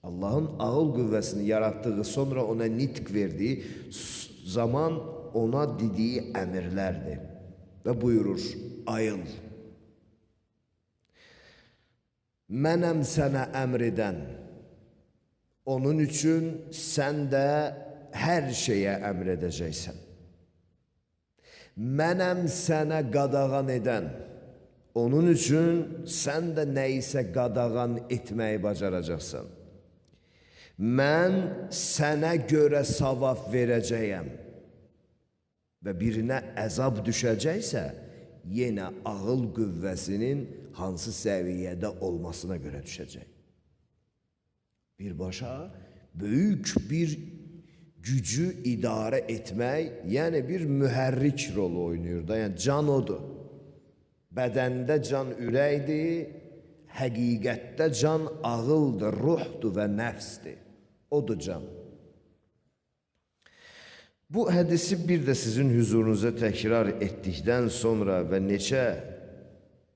Allah'ın ağıl qüvvəsini yarattığı, sonra ona nitq verdiği zaman ona dediği əmirlərdir. Və buyurur, ayıl. Mənəm sənə əmr edən. Onun üçün sən də hər şeyə əmr edəcəksən. Mənəm sənə qadağan edən. Onun üçün sən də nəyisə qadağan etməyi bacaracaqsan. Mən sənə görə savab verəcəyəm. Və birinə əzab düşəcəksə, yenə ağıl qüvvəsinin hansı səviyyədə olmasına görə düşəcək. Birbaşa böyük bir gücü idarə etmək, yəni bir mühərrik rolu oynayır da, yəni can odur. Bədəndə can ürəkdir, həqiqətdə can ağıldır, ruhdur və nəfsdir. Odur can. Bu hədisi bir də sizin hüzurunuza təkrar etdikdən sonra və neçə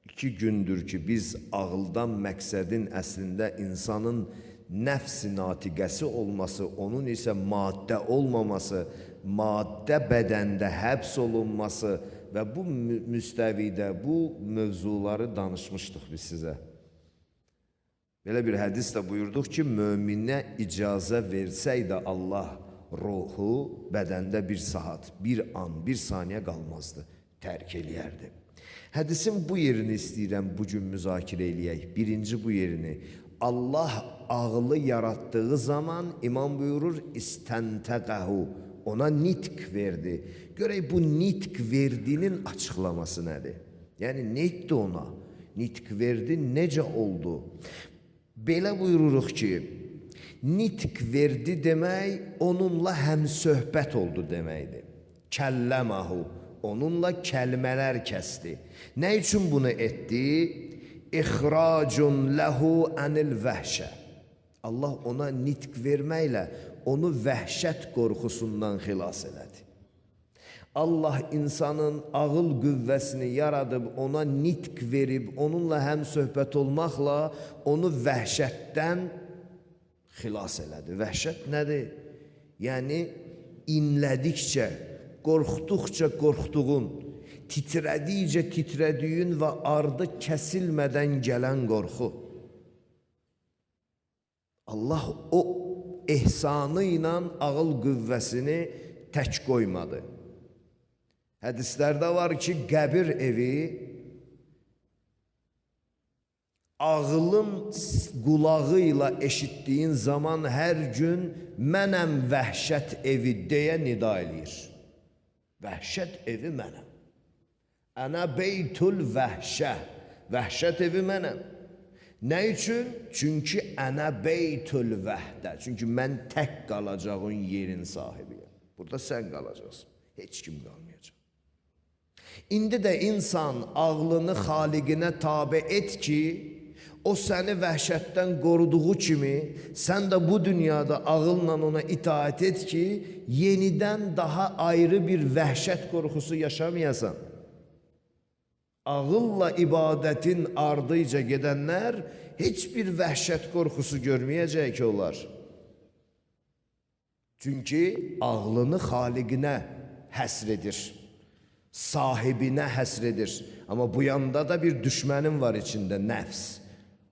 2 gündür ki, biz ağıldan məqsədin əslində insanın nəfs-i natiqəsi olması, onun isə maddə olmaması, maddə bədəndə həbs olunması və bu müstəvidə bu mövzuları danışmışdıq biz sizə. Belə bir hədis də buyurduq ki, möminə icazə versəydə Allah ruhu bədəndə bir saat, bir an, bir saniyə qalmazdı, tərk eləyərdi. Hədisin bu yerini istəyirəm bugün müzakirə eləyək. Birinci bu yerini. Allah ağlı yarattığı zaman imam buyurur, istəntəqəhu, ona nitq verdi. Görək bu nitq verdinin açıqlaması nədir? Yəni nə etdi ona? Nitq verdi, necə oldu? Belə buyururuq ki, nitq verdi demək, onunla həmsöhbət oldu deməkdir. Kəlləməhu, onunla kəlmələr kəsdi. Nə üçün bunu etdi? İxracun ləhu ənil vəhşə. Allah ona nitq verməklə onu vəhşət qorxusundan xilas elədi. Allah insanın ağıl qüvvəsini yaradıb, ona nitq verib, onunla həmsöhbət olmaqla onu vəhşətdən xilas elədi. Vəhşət nədir? Yəni, inlədikcə, qorxduqca qorxduğun, titrədikcə titrədiyin və ardı kəsilmədən gələn qorxu. Allah o ehsanı ilə ağıl qüvvəsini tək qoymadı. Hədislərdə var ki, qəbir evi ağlın qulağı ilə eşitdiyin zaman hər gün mənəm vəhşət evi deyə nida eləyir. Vəhşət evi mənəm. Ənə beytul vəhşə. Vəhşət evi mənəm. Nə üçün? Çünki ənə beytul vəhdə. Çünki mən tək qalacağın yerin sahibiyəm. Burada sən qalacaqsın. Heç kim qalmayacaq. İndi də insan ağlını xaliqinə tabe et ki, o səni vəhşətdən qoruduğu kimi, sən də bu dünyada ağılla ona itaat et ki, yenidən daha ayrı bir vəhşət qorxusu yaşamayasan. Ağılla ibadətin ardıyca gedənlər heç bir vəhşət qorxusu görməyəcək ki onlar. Çünki ağlını xaliqinə həsr edir, sahibinə həsr edir. Amma bu yanda da bir düşmənin var içində, nəfs.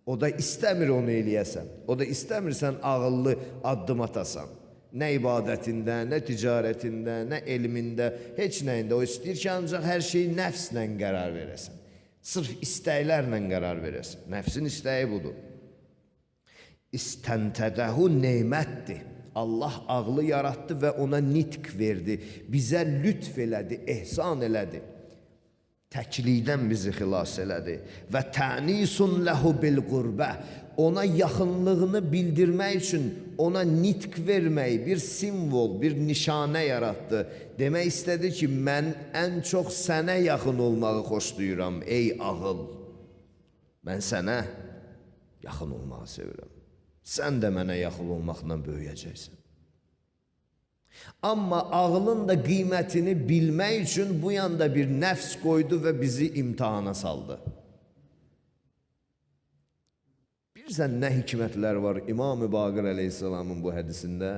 O da istəmir onu eləyəsən. O da istəmirsən ağıllı addım atasan. Nə ibadətində, nə ticarətində, nə elmində, heç nəyində. O istəyir ki, ancaq hər şeyi nəfslə qərar verəsən. Sırf istəklərlə qərar verəsən. Nəfsin istəyi budur. İstəntədəhu neymətdir. Allah ağlı yarattı və ona nitq verdi. Bizə lütf elədi, ehsan elədi. Təklikdən bizi xilas elədi. Və tənisun ləhu bil qurbə. Ona yaxınlığını bildirmək üçün ona nitq vermək, bir simvol, bir nişanə yarattı. Demək istədi ki, mən ən çox sənə yaxın olmağı xoşlayıram, ey ağıl. Mən sənə yaxın olmağı sevirəm. Sən də mənə yaxın olmaqla böyüyəcəksən. Amma ağlın da qiymətini bilmək üçün bu yanda bir nəfs qoydu və bizi imtihana saldı. Bir Bilirsən nə hikmətlər var İmam-ı Baqir əleyhissalamın bu hədisində?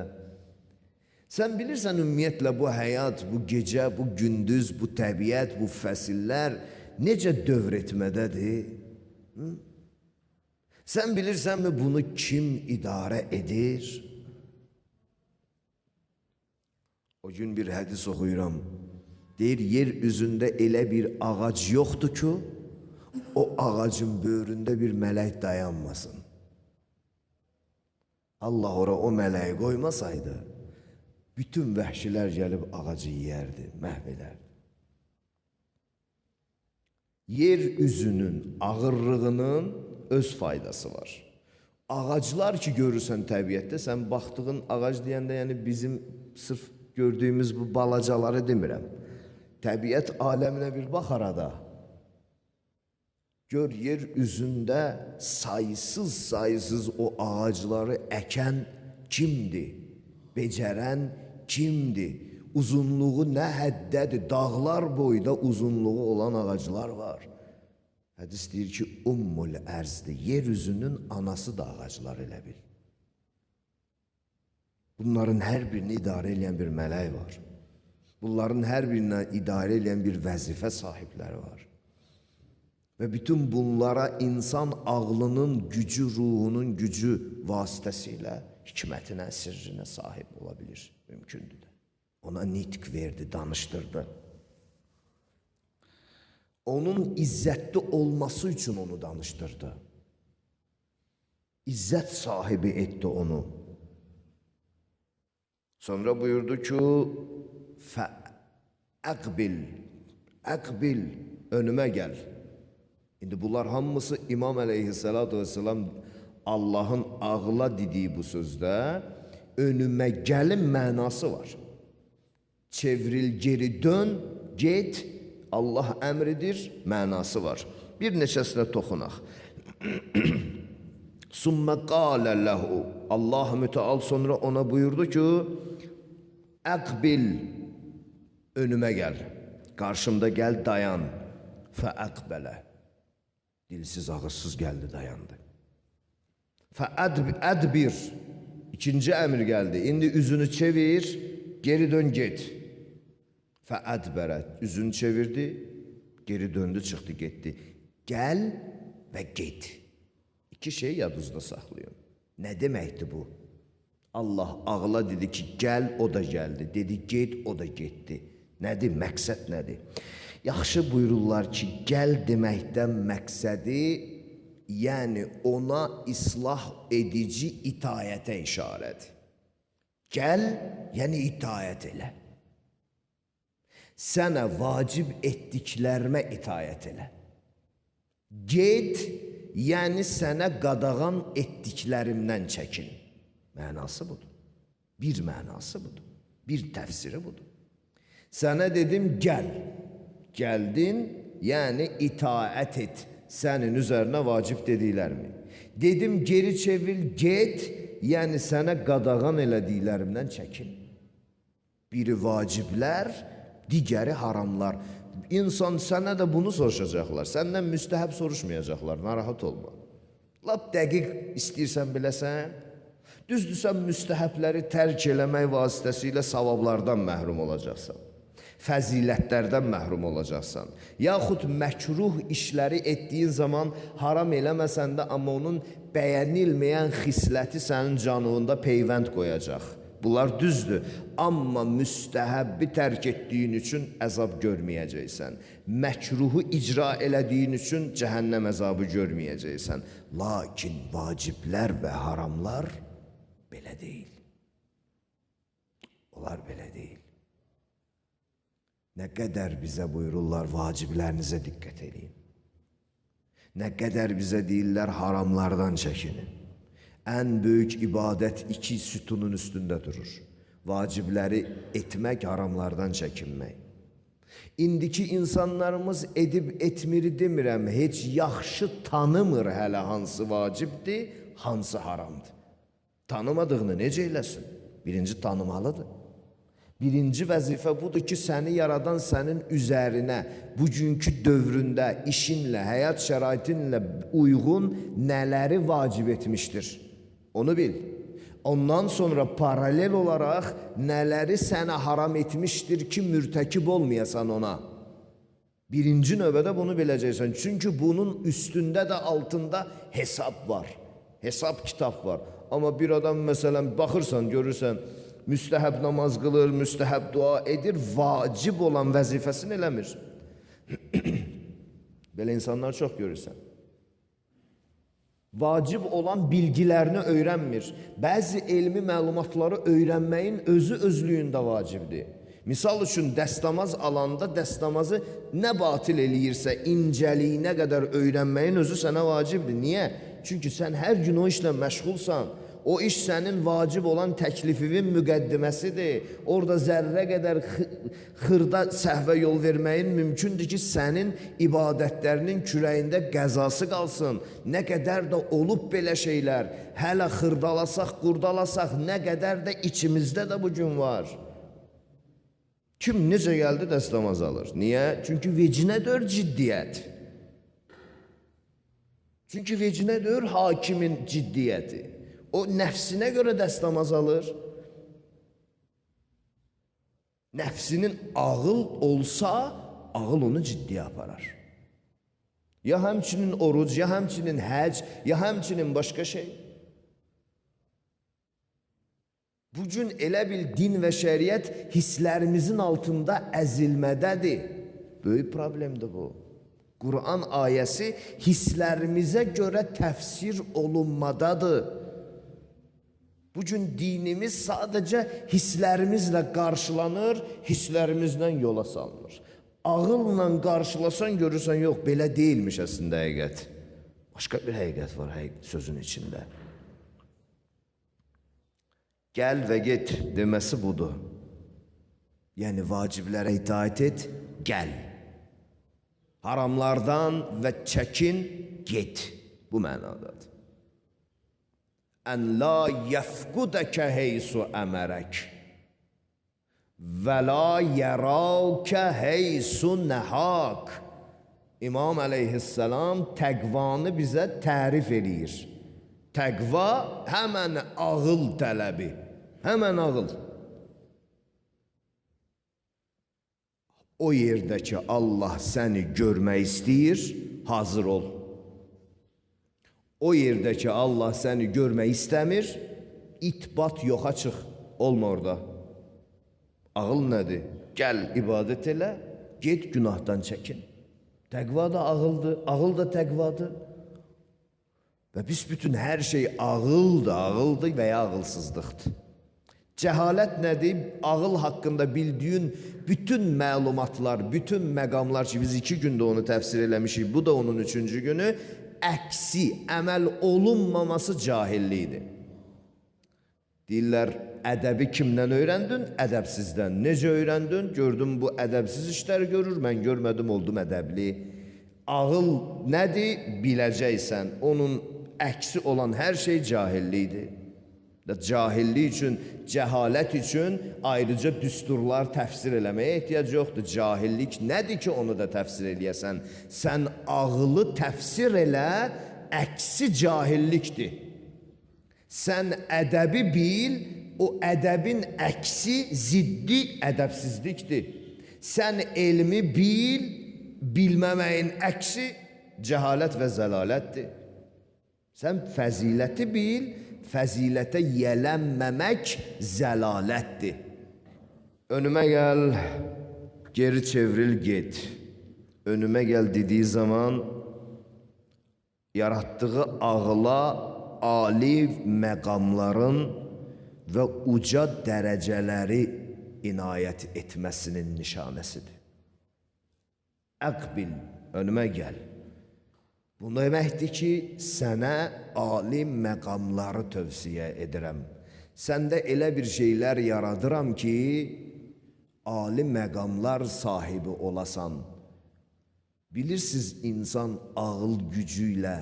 Sən bilirsən ümumiyyətlə bu həyat, bu gecə, bu gündüz, bu təbiət, bu fəsillər necə dövr etmədədir? Sən bilirsənmi bunu kim idarə edir? O gün bir hədis oxuyuram. Deyir, yer üzündə elə bir ağac yoxdur ki, o ağacın böyründə bir mələk dayanmasın. Allah ora o mələyi qoymasaydı, bütün vəhşilər gəlib ağacı yeyərdi, məhv edərdi. Yer üzünün ağırlığının öz faydası var. Ağaclar ki görürsən təbiətdə, sən baxdığın ağac deyəndə, yəni bizim sırf gördüyümüz bu balacaları demirəm. Təbiət aləminə bir bax arada. Gör, yer üzündə sayısız o ağacları əkən kimdir? Becərən kimdir? Uzunluğu nə həddədir? Dağlar boyda uzunluğu olan ağaclar var. Hədis deyir ki, Ummul Ərzdir. Yer üzünün anası da ağaclar elə bil. Bunların hər birini idarə edən bir mələk var. Bunların hər birinə idarə edən bir vəzifə sahibləri var. Və bütün bunlara insan ağlının gücü, ruhunun gücü vasitəsilə hikmətinə, sirrinə sahib ola bilir. Mümkündür də. Ona nitq verdi, danışdırdı. Onun izzətli olması üçün onu danışdırdı. İzzət sahibi etdi onu. Sonra buyurdu ki, Əqbil, önümə gəl. İndi bunlar hamısı İmam əleyhissalatu vesselam Allahın ağla dediyi bu sözdə önümə gəlin mənası var. Çevril, geri dön, get, Allah əmridir, mənası var. Bir neçəsinə toxunaq. Sümmə qalə ləhu, Allah müteal sonra ona buyurdu ki, Əqbil, önümə gəl, qarşımda gəl, dayan. Fəəqbələ, dilsiz ağızsız gəldi, dayandı. Fəədbir, ikinci əmr gəldi. İndi üzünü çevir, geri dön, get. Fəədbərə, üzünü çevirdi, geri döndü, çıxdı, getdi. Gəl və get. İki şey yadınızda saxlayın. Nə deməkdir bu? Allah ağla dedi ki, gəl, o da gəldi. Dedi, get, o da getdi. Nədir, məqsəd nədir? Yaxşı buyururlar ki, gəl deməkdən məqsədi, yəni ona islah edici itayətə işarədir. Gəl, yəni itayət elə. Sənə vacib etdiklərimə itayət elə. Get, yəni sənə qadağan etdiklərimdən çəkin. Mənası budur. Bir mənası budur. Bir təfsiri budur. Sənə dedim, gəl. Gəldin, yəni itaət et. Sənin üzərinə vacib dediklərimi. Dedim, geri çevir, get, yəni sənə qadağan elədiklərimdən çəkin. Biri vaciblər, digəri haramlar. İnsan sənə də bunu soruşacaqlar. Səndən müstəhəb soruşmayacaqlar, narahat olma. Lap dəqiq istəyirsən biləsən, düzdürsən müstəhəbləri tərk eləmək vasitəsilə savablardan məhrum olacaqsan. Fəzilətlərdən məhrum olacaqsan. Yaxud məkruh işləri etdiyin zaman haram eləməsən də, amma onun bəyənilməyən xisləti sənin canında peyvənd qoyacaq. Bunlar düzdür. Amma müstəhəbbi tərk etdiyin üçün əzab görməyəcəksən. Məkruhu icra elədiyin üçün cəhənnəm əzabı görməyəcəksən. Lakin vaciblər və haramlar belə deyil. Onlar belə deyil. Nə qədər bizə buyururlar, vaciblərinizə diqqət edin. Nə qədər bizə deyirlər, haramlardan çəkinin. Ən böyük ibadət iki sütunun üstündə durur. Vacibləri etmək, haramlardan çəkinmək. İndiki insanlarımız edib etmiri demirəm, heç yaxşı tanımır hələ hansı vacibdir, hansı haramdır. Tanımadığını necə eləsin? Birinci tanımalıdır. Birinci vəzifə budur ki, səni yaradan sənin üzərinə bugünkü dövründə işinlə, həyat şəraitinlə uyğun nələri vacib etmişdir. Onu bil. Ondan sonra paralel olaraq nələri sənə haram etmişdir ki, mürtəkib olmayasan ona. Birinci növbədə bunu biləcəksən. Çünki bunun üstündə də altında hesab var. Hesab kitab var. Amma bir adam məsələn baxırsan, görürsən, müstəhəb namaz qılır, müstəhəb dua edir, vacib olan vəzifəsini eləmir. Belə insanlar çox görürsən. Vacib olan bilgilərini öyrənmir. Bəzi elmi məlumatları öyrənməyin özü özlüyündə vacibdir. Misal üçün, dəstəmaz alanda dəstəmazı nə batil eləyirsə, incəliyinə qədər öyrənməyin özü sənə vacibdir. Niyə? Çünki sən hər gün o işlə məşğulsan. O iş sənin vacib olan təklifinin müqəddiməsidir. Orada zərrə qədər xırda səhvə yol verməyin mümkündür ki, sənin ibadətlərinin kürəyində qəzası qalsın. Nə qədər də olub belə şeylər, hələ xırdalasaq, qurdalasaq, nə qədər də içimizdə də bugün var. Kim necə gəldi dəstəmaz alır? Niyə? Çünki vecinə dör ciddiyyət. Çünki vecinə dör hakimin ciddiyyəti. O nəfsinə görə dəstəmaz alır. Nəfsinin ağıl olsa, ağıl onu ciddiyə aparar. Ya həmçinin oruc, ya həmçinin həc, ya həmçinin başqa şey. Bugün elə bil din və şəriət hisslərimizin altında əzilmədədir. Böyük problemdir bu. Quran ayəsi hisslərimizə görə təfsir olunmadadır. Bugün dinimiz sadəcə hisslərimizlə qarşılanır, hisslərimizlə yola salınır. Ağılla qarşılasan görürsən, yox, belə deyilmiş əslində həqiqət. Başqa bir həqiqət var sözün içində. Gəl və get deməsi budur. Yəni vaciblərə itaat et, gəl. Haramlardan və çəkin, get. Bu mənadadır. Ən la yəfqudəkə heysu əmərək və la yəraukə heysu nəhak. İmam əleyhisselam təqvanı bizə tərif eləyir. Təqva həmən ağıl tələbi, həmən ağıl. O yerdə ki, Allah səni görmək istəyir, hazır ol. O yerdə ki, Allah səni görmək istəmir, itbat yoxa çıx, olma orada. Ağıl nədir? Gəl ibadət elə, get günahdan çəkin. Təqva da ağıldır, ağıl da təqvadır. Və büsbütün hər şey ağıldır və ya ağılsızlıqdır. Cəhalət nədir? Ağıl haqqında bildiyin bütün məlumatlar, bütün məqamlar ki, biz 2 gündə onu təfsir eləmişik, bu da onun 3-cü günü, əksi, əməl olunmaması cahillikdir. Deyirlər, ədəbi kimdən öyrəndin? Ədəbsizdən. Necə öyrəndin? Gördüm, bu ədəbsiz işlər görür, mən görmədim, oldum ədəbli. Ağıl nədir? Biləcəksən. Onun əksi olan hər şey cahillikdir. Cahillik üçün, cəhalət üçün ayrıca düsturlar təfsir eləməyə ehtiyac yoxdur. Cahillik nədir ki, onu da təfsir eləyəsən? Sən ağılı təfsir elə, əksi cahillikdir. Sən ədəbi bil, o ədəbin əksi ziddi ədəbsizlikdir. Sən elmi bil, bilməməyin əksi cəhalət və zəlalətdir. Sən fəziləti bil, fəzilətə yələnməmək zəlalətdir. Önümə gəl, geri çevril, get. Önümə gəl dediyi zaman yaratdığı ağla ali məqamların və uca dərəcələri inayət etməsinin nişanəsidir. Əqbil, önümə gəl. Bu deməkdir ki, sənə ali məqamları tövsiyə edirəm. Səndə elə bir şeylər yaradıram ki, ali məqamlar sahibi olasan. Bilirsiniz, insan ağıl gücü ilə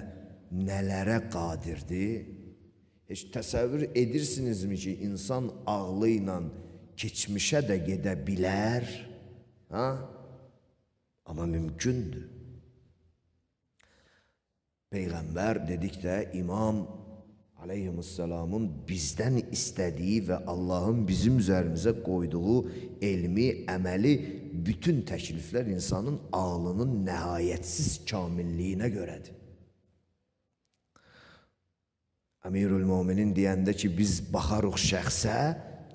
nələrə qadirdir? Heç təsəvvür edirsinizmi ki, insan ağlı ilə keçmişə də gedə bilər, ha? Amma mümkündür. Peyğəmbər dedikdə İmam aleyhisselamın bizdən istədiyi və Allahın bizim üzərimizə qoyduğu elmi, əməli, bütün təkliflər insanın ağlının nəhayətsiz kamilliyinə görədir. Əmirül-Müminin deyəndə ki, biz baxarıq şəxsə,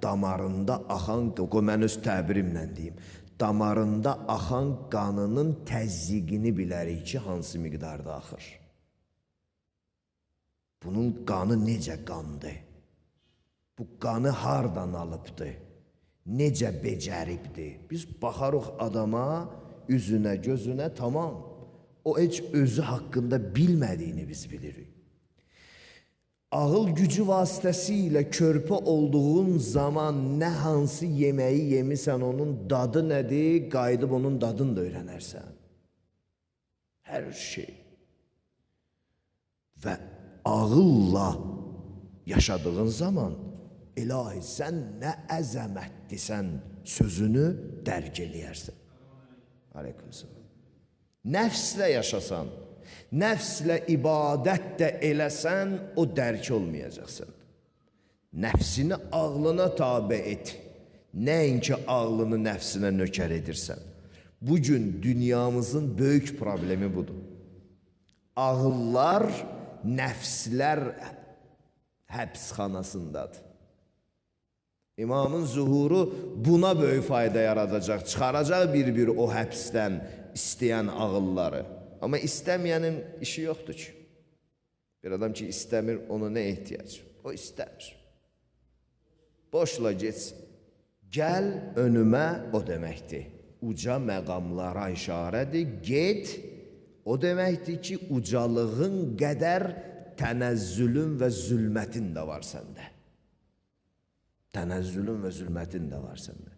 damarında axan, mən öz təbirimlə deyim, damarında axan qanının təzyiqini bilərik ki, hansı miqdarda axır. Bunun qanı necə qandır? Bu qanı hardan alıbdır? Necə becəribdir? Biz baxarıq adama, üzünə, gözünə, tamam. O heç özü haqqında bilmədiyini biz bilirik. Ağıl gücü vasitəsilə körpə olduğun zaman nə hansı yeməyi yemisən, onun dadı nədir? Qayıdıb onun dadını da öyrənərsən. Hər şey. Və ağılla yaşadığın zaman ilahi sən nə əzəmətlisən sözünü dərk eləyərsən. Aleykümselam. Nəfslə yaşasan, nəfslə ibadət də eləsən, o dərk olmayacaqsan. Nəfsini ağlına tabe et. Nəinki ağlını nəfsinə nökər edirsən. Bugün dünyamızın böyük problemi budur. Ağıllar, nəfslər həbsxanasındadır. İmamın zuhuru buna böyük fayda yaradacaq, çıxaracaq bir-bir o həbsdən istəyən ağılları. Amma istəməyənin işi yoxdur ki. Bir adam ki istəmir, ona nə ehtiyac? O istəmir. Boşla geçsin. Gəl önümə o deməkdir. Uca məqamlara işarədir. Get, o deməkdir ki, ucalığın qədər tənəzzülün və zülmətin də var səndə. Tənəzzülün və zülmətin də var səndə.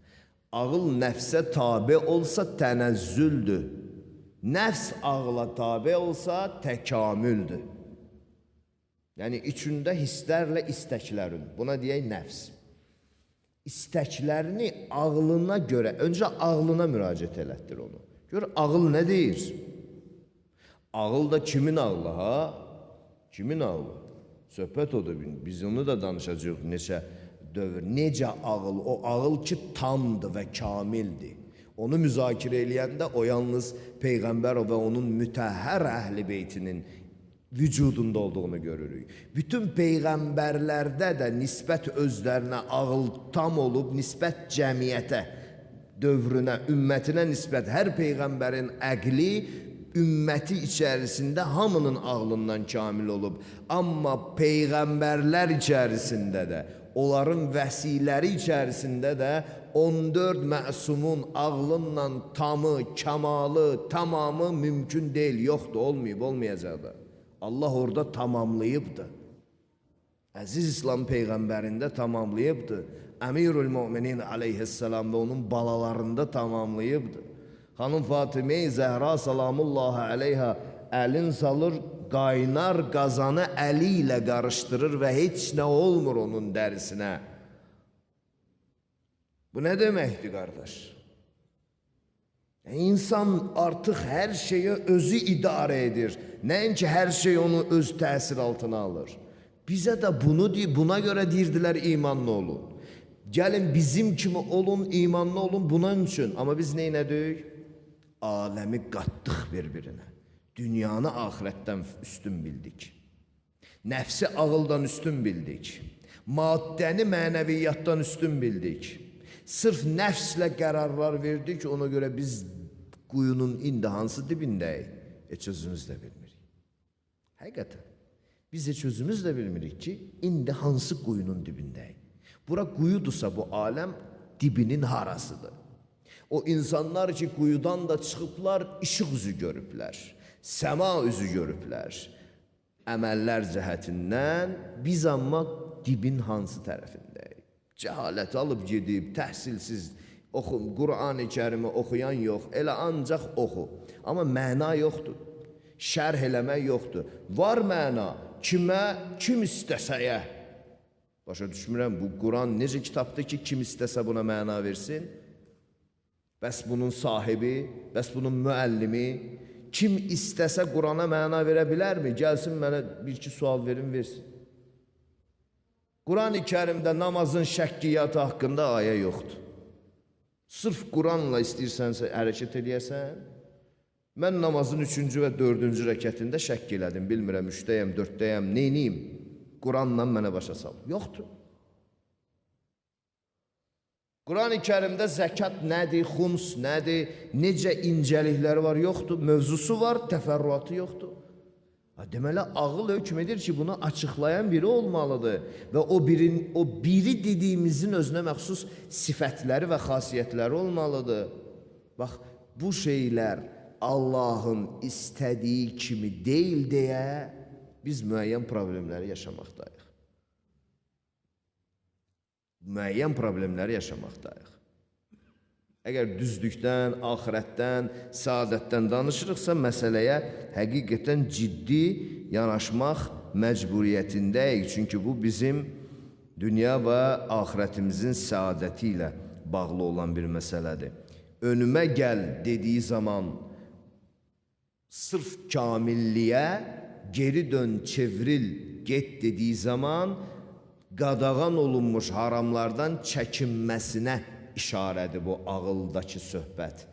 Ağıl nəfsə tabe olsa tənəzzüldür. Nəfs ağla tabe olsa təkamüldür. Yəni içində hisslərlə istəklərin. Buna deyək nəfs. İstəklərini ağlına görə, öncə ağlına müraciət elətdir onu. Gör, ağıl nə deyir? Ağıl da kimin ağlı, ha? Kimin ağlı? Söhbət odur, biz onu da danışacağıq neçə dövr. Necə ağıl? O ağıl ki tamdır və kamildir. Onu müzakirə eləyəndə o yalnız Peyğəmbər və onun mütəhhər əhl-i beytinin vücudunda olduğunu görürük. Bütün peyğəmbərlərdə də nisbət özlərinə ağıl tam olub, nisbət cəmiyyətə, dövrünə, ümmətinə nisbət hər peyğəmbərin əqli ümməti içərisində hamının ağlından kamil olub. Amma peyğəmbərlər içərisində də, onların vəsiləri içərisində də 14 məsumun ağlınla tamı, kamalı, tamamı mümkün deyil, yoxdur, olmayıb, olmayacaq da. Allah orada tamamlayıbdır. Əziz İslam peyğəmbərində tamamlayıbdır. Əmirül-Müminin aleyhisselam və onun balalarında tamamlayıbdır. Xanım Fatimə-i Zəhra salamullahi aleyha əlin salır, qaynar qazanı əli ilə qarışdırır və heç nə olmur onun dərisinə. Bu nə deməkdir, qardaş? İnsan artıq hər şeyi özü idarə edir. Nəinki hər şey onu öz təsir altına alır. Bizə də bunu deyib, buna görə deyirdilər imanlı olun. Gəlin bizim kimi olun, imanlı olun bunun üçün. Amma biz neynədik? Aləmi qatdıq bir-birinə. Dünyanı ahirətdən üstün bildik. Nəfsi ağıldan üstün bildik. Maddəni mənəviyyatdan üstün bildik. Sırf nəfslə qərarlar verdik, ona görə biz quyunun indi hansı dibindəyik? Heç özümüz də bilmirik. Həqiqətən, biz heç özümüz də bilmirik ki, indi hansı quyunun dibindəyik? Bura quyudursa bu aləm dibinin harasıdır. O insanlar ki, quyudan da çıxıblar, işıq üzü görüblər, səma üzü görüblər. Əməllər cəhətindən biz amma dibin hansı tərəfindəyik? Cəhalət alıb gedib, təhsilsiz, Qur'an-ı Kərimi oxuyan yox, elə ancaq oxu. Amma məna yoxdur, şərh eləmək yoxdur. Var məna, kimə, kim istəsəyə. Başa düşmürəm, bu Quran necə kitabdır ki, kim istəsə buna məna versin? Bəs bunun sahibi, bəs bunun müəllimi, kim istəsə Qurana məna verə bilərmi? Gəlsin mənə bir-iki sual verin, versin. Quran-ı Kərimdə namazın şəkkiyatı haqqında ayə yoxdur. Sırf Quranla istəyirsənsə hərəkət edəyəsən, mən namazın 3-cü və 4-cü rəkətində şəkk elədim, bilmirəm, 3-dəyəm, 4-dəyəm, neyniyim? Quranla mənə başa sal. Yoxdur. Quran-ı Kərimdə zəkat nədir, xums nədir, necə incəlikləri var, yoxdur. Mövzusu var, təfərrüatı yoxdur. Deməli, ağıl hökm edir ki, bunu açıqlayan biri olmalıdır. Və o biri dediyimizin özünə məxsus sifətləri və xasiyyətləri olmalıdır. Bax, bu şeylər Allahın istədiyi kimi deyil deyə biz müəyyən problemləri yaşamaqdayıq. Müəyyən problemləri yaşamaqdayıq. Əgər düzlükdən, axirətdən, səadətdən danışırıqsa, məsələyə həqiqətən ciddi yanaşmaq məcburiyyətindəyik. Çünki bu bizim dünya və axirətimizin səadəti ilə bağlı olan bir məsələdir. Önümə gəl dediyi zaman sırf kamilliyə, geri dön, çevril, get dediyi zaman qadağan olunmuş haramlardan çəkinməsinə işarədir bu ağıldakı söhbət.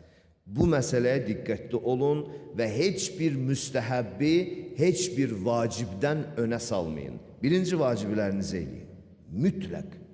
Bu məsələyə diqqətli olun və heç bir müstəhəbbi, heç bir vacibdən önə salmayın. Birinci vaciblərinizi eləyin. Mütləq.